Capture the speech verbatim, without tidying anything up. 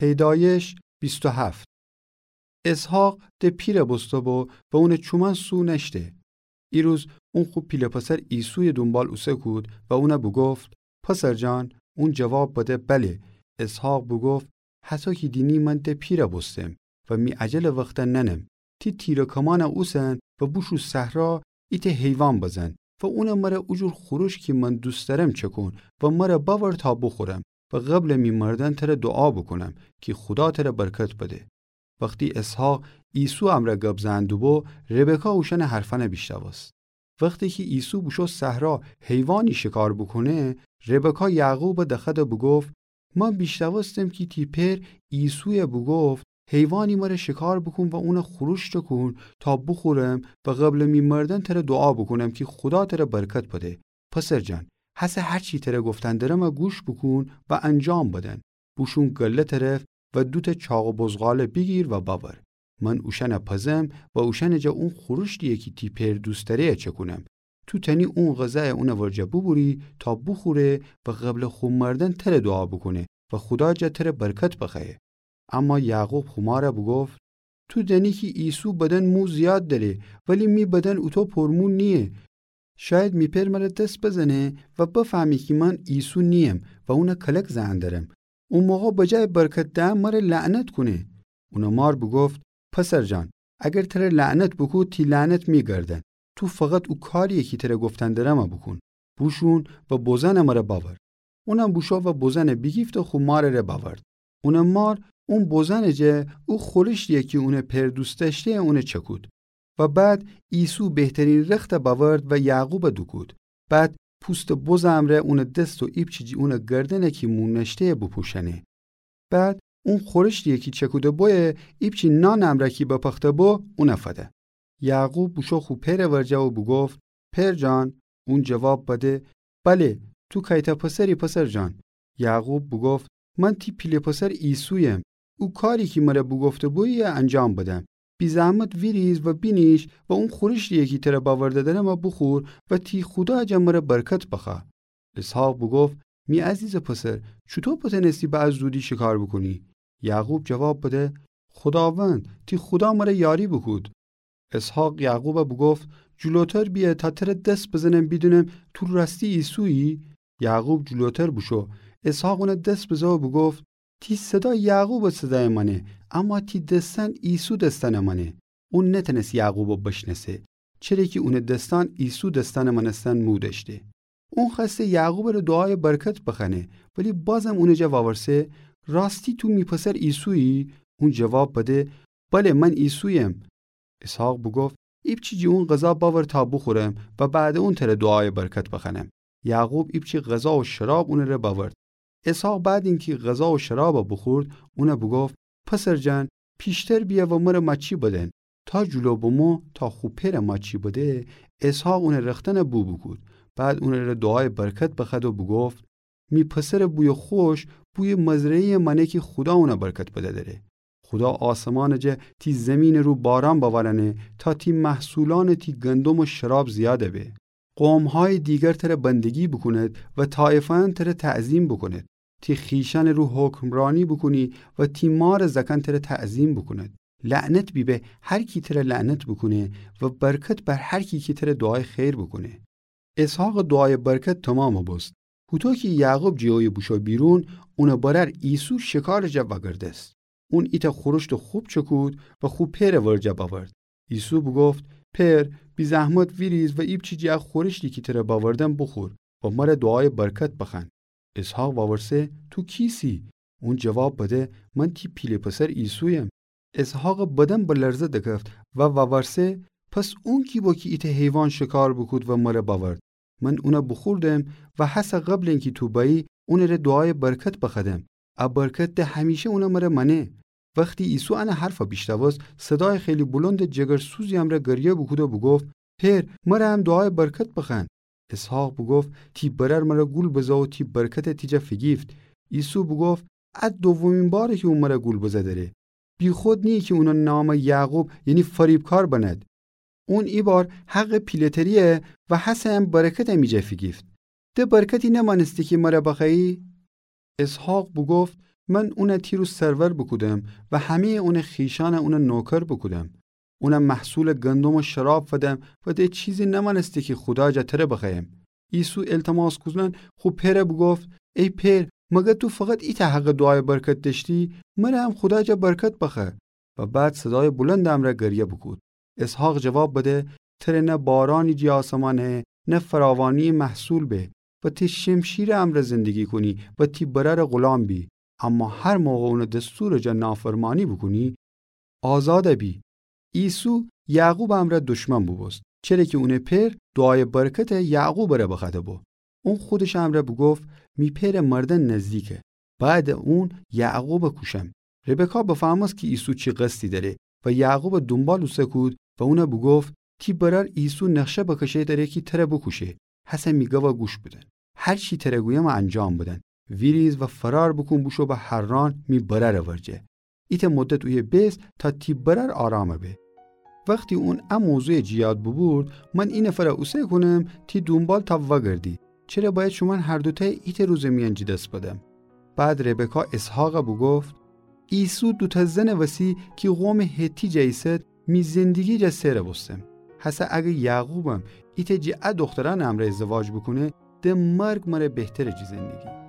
پیدایش بیست و هفت. اسحاق د پیرَ بوسته‌بو و اونٚ چومأن سو نأشته. ایروز اون خو پیله پسر عیسویٚ دونبال اوسه‌کود و اونَ بوگفت: پسرجان. اون جواب بده: بله. اسحاق بوگفت: هطو کی دینی من د پیرَ بوستم و می اجلٚ وختَ نأنم. تی تیر و کمأنَ اوسن و بوشو صحرا ایتأ حیوان بزن و اونَ مرَ اوجور خورش کی من دوست دأرم چکون و مرَ بأور تا بوخورم و قبلٚ می مردن ترَ دوعا بوکونم کی خودا ترَ برکت بده. وختی اسحاق عیسو امرأ گب زئن دوبو، ربکا اوشأنٚ حرفأنَ بیشنوست. وختی کی عیسو بوشو صحرا حیوانی شکار بوکونه، ربکا یعقوبَ دخوأد و بوگفت: من بیشنوستم کی تی پئر عیسویَ بوگفت: حیوانی مرَ شکار بوکون و اونَ خورش چکون تا بوخورم و قبلٚ می مردن ترَ دوعا بوکونم کی خودا ترَ برکت بده. پسرجان، هسه هر چی ترَ گفتن درمَ گوش بوکون و انجام بدن. بوشون گله طرف و دوتأ چاق و بزغاله بیگیر و بأور. من اوشأنَ پزم و اوشأنٚ جا اون خورشتی‌یَ کی تی پئر دوست دأره‌یَ چکونم. تو تأنی اون غذایَ اونٚ ورجه بوبوری تا بوخوره و قبلٚ خو مردن ترَ دوعا بوکونه و خودا جا ترَ برکت بخوأیه. اما یعقوب خو مارَ بوگفت: تو دأنی کی عیسو بدن مو زیاد دأره، ولی می بدن اوطو پرمو نییه. شاید می پئر مرَ دس بزنه و بفهمه کی من عیسو نییم و اونَ کلک زئن درم. او موقع بجایٚ برکت دئن مرَ لعنت کونه. اونٚ مار بوگفت: پسرجان، اگر ترَ لعنت بوکود، تی لعنت می گردن. تو فقط او کاری‌یَ کی ترَ گفتن درمَ بوکون. بوشون و بزنٚ مرَ بأور. اونم بوشو و بزنَ بیگیفت و خو مارٚ ره بأورد. اونٚ مار اون بزنٚ جا او خورشتی‌یَ کی اونٚ پئر دوست دأشته اونَ چکود. و بعد عیسو بهترین رختَ بأورد و یعقوبَ دوکود. بعد پوستٚ بزٚ امرأ اونٚ دس و ایپچی جی اونٚ گردنَ کی مو نأشته‌یَ بوپوشأنه. بعد اون خورشتی‌یَ کی چکوده‌بویه ایپچی نانٚ امرأ کی بپخته‌بو اونَ فده. یعقوب بوشو خو پئرٚ ورجه و بوگفت: پئرجان. اون جواب بده: بله، تو کیتأ پسری پسرجان. یعقوب بوگفت: من تی پیله پسر عیسویم. او کاری کی مرَ بوگفته‌بویی‌یَ انجام بدم. بی‌زحمت ویریز و بینیش و اون خورشتی‌یَ کی ترَ بأورده درمَ بوخور و تی خودا جا مرَ برکت بخوأ. اسحاق بوگفت: می عزیزٚ پسر، چوطو بتأنستی به ا زودی شکار بوکونی؟ یعقوب جواب بده: خوداوند، تی خودا مرَ یاری بوکود. اسحاق یعقوبَ بوگفت: جلوتر بیأ تا ترَ دس بزنم بیدونم تو راستی عیسویی؟ یعقوب جلوتر بوشو. اسحاق اونَ دس بزه و بوگفت: تی صدا یعقوبٚ صدایَ مأنه، اما تی دسأن عیسو دسأنَ مأنه. اون نتأنست یعقوبَ بشنأسه، چره کی اونٚ دسأن عیسو دسأنٚ مأنستن مو دأشته. اون خوأسته یعقوبٚ ره دوعایٚ برکت بخوأنه، ولی بازم اونٚ جا وورسه: راستی تو می پسر عیسویی؟ اون جواب بده: بله، من عیسویم. اسحاق بوگفت: ایپچی جی اون غذا بأور تا بوخورم و بعدٚ اون تره دوعایٚ برکت بخوأنم. یعقوب ایپچی غذا و شراب اونٚ ره بأورد. اسحاق بعدٚ اینکی غذا و شرابَ بوخورد، اونَ بوگفت: پسرجان، پیشتر بیأ و مره مأچی بدن. تا جلو بمو تا خو پئرَ مأچی بده. اسحاق اونٚ رختنَ بو بوکود. بعد اونٚ ره دوعایٚ برکت بخوأد و بوگفت: می پسرٚ بویٚ خوش بویٚ مزرعه‌یٚ مأنه کی خودا اونَ برکت بده‌دره. خودا آسمانٚ جا تی زیمینٚ رو باران بأورأنه تا تی محصولأنٚ تی گندم و شراب زیادَ به. قوم‌هایٚ دیگر تره بندگی بوکوند و طایفه‌یأن تره تعظیم بوکوند. تی خویشأنٚ رو حکمرأنی بوکونی و تی مارٚ زأکأن تره تعظیم بوکوند. لعنت بیبه هر کی تره لعنت بوکونه و برکت بر هر کی کی تره دوعایٚ خیر بوکونه. اسحاقٚ دوعایٚ برکت تومامَ بوست. هوطو کی یعقوب جٚ اویه بوشو بیرون، اونٚ برأر عیسو شکارٚ جا وأگردست. اون ایتأ خورشتٚ خوب چکود و خو پئرٚ ورجه بأورد. عیسو بوگفت: پئر، بی‌زحمت ویریز و ایپچی جٚه خورشتی کی تره بأوردم بوخور و مره دوعایٚ برکت بخوأن. اسحاق وأورسه: تو کیسی؟ اون جواب بده: من تی پیله پسر عیسویم. اسحاقٚ بدن به لرزه دکفت و وأورسه: پس اون کی بو کی ایتأ حیوان شکار بوکود و مره بأورد؟ من اونَ بوخوردم و هسه قبلٚ اینکی تو بأیی اونٚ ره دوعایٚ برکت بخوأدم. ا برکت ده همیشه اونَ مره مأنه. وختی عیسو انٚ حرفَ بیشنوست، صدایٚ خیلی بلندٚ جگرسوزی امرأ گریه بوکود و بوگفت: پئر، مره هم دوعایٚ برکت بخوأن. اسحاق بوگفت: تی برأر مره گول بزه و تی برکتَ تی جا فیگیفت. عیسو بوگفت: ا دومین باره کی اون مره گول بزه دره. بیخود نییه کی اونٚ نامَ یعقوب، یعنی فریبکار بنأد. اون ایبار حقٚ پیله‌تری‌یه و هسه هم برکتَ می جا فیگیفت. ده برکتی نمأنستی کی مره بخوأیی؟ اسحاق بوگفت: من اونَ تی رو سرور بوکودم و همه‌یٚ اونٚ خیشأن اونٚ نوکر بوکودم. اونَ محصولٚ گندم و شراب فدم و ده چیزی نمأنسته کی خودا جا تره بخوأیم. عیسی التماس کودنأن خو پئرَ بوگفت: ای پئر، مگر تو فقط ایتأ حقٚ دوعایٚ برکت دأشتی؟ مرَ هم خودا جا برکت بخوأ. و بعد صدایٚ بلندٚ امرأ گریه بوکود. اسحاق جواب بده: تره نه بارأنی جی آسمأن هه، نه فراوانییٚ محصول به، و تی شمشیرٚ امرأ زندگی کونی و تی برأرٚ غلام بی. اما هر موقع اونٚ دستورٚ جا نافرمانی بوکونی، آزادَ بی. عیسی یعقوبٚ امرأ دشمن بوبوست، چره کی اونٚ پئر دوعایٚ برکتَ یعقوبٚ ره بخوأده بو. اون خودشٚ امرأ بوگفت: می پئرٚ مردن نزدیکه، بأیدٚ اون یعقوبَ کوشم. ربکا بفهمست کی عیسی چی قصدی دأره و یعقوبٚ دونبال اوسه کود و اونَ بوگفت: تی برأر عیسی نقشه بکشه دأره کی تره بوکوشه. هسه می گبَ گوش بدن. هر چی تره گویمه انجام بدن. ویریز و فرار بوکون بوشو به حران می برأرٚ ورجه. ایتأ مدت اویه بیس تا تی برأر آرامَ به. وختی اون ا موضوعَ جی یاد بوبورد: من ای نفرَ اوسه کونم تی دونبال تا وأگردی. چره بأید شومأن هر دوتأی ایتأ روزٚ میأن جی دس بدم؟ بعد ربکا اسحاقَ بوگفت: عیسی دوتأ زنٚ وسی کی قومٚ حتی جا ایسد می زندگی جا سئر بوستم. هسه اگر یعقوبم ایتأ جی ا دوخترأنٚ امرأ ازدواج بوکونه، ده مرگ مره بهتره جی زندگی.